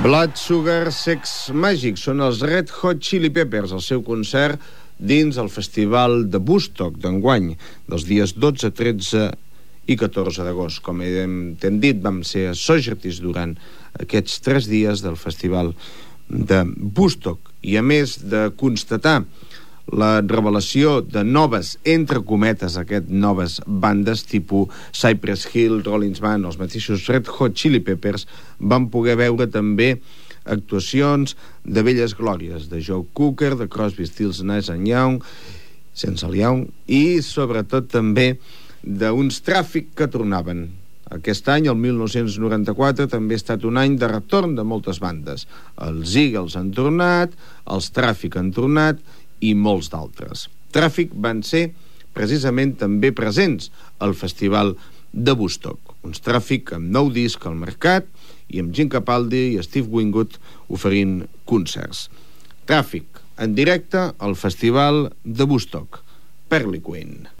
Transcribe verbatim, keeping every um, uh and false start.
Blood Sugar Sex Magic són els Red Hot Chili Peppers, el seu concert dins el Festival de Woodstock d'enguany, dels dies dotze, tretze i catorze d'agost. Com hem dit, vam ser associates durant aquests tres dies del Festival de Woodstock. I a més de constatar la revelació de noves, entre cometes, aquest noves bandes tipus Cypress Hill, Rolling Stones, els mateixos Red Hot Chili Peppers, van poder veure també actuacions de velles glòries, de Joe Cocker, de Crosby, Stills, Nash and Young, sense el Young, i sobretot també d'uns Tràfic que tornaven. Aquest any, el mil nou-cents noranta-quatre, també ha estat un any de retorn de moltes bandes. Els Eagles han tornat, els Tràfic han tornat, i molts d'altres. Tràfic van ser precisament també presents al Festival de Woodstock. Uns Tràfic amb nou disc al mercat i amb Jim Capaldi i Steve Winwood oferint concerts. Tràfic en directe al Festival de Woodstock. Pearly Queen.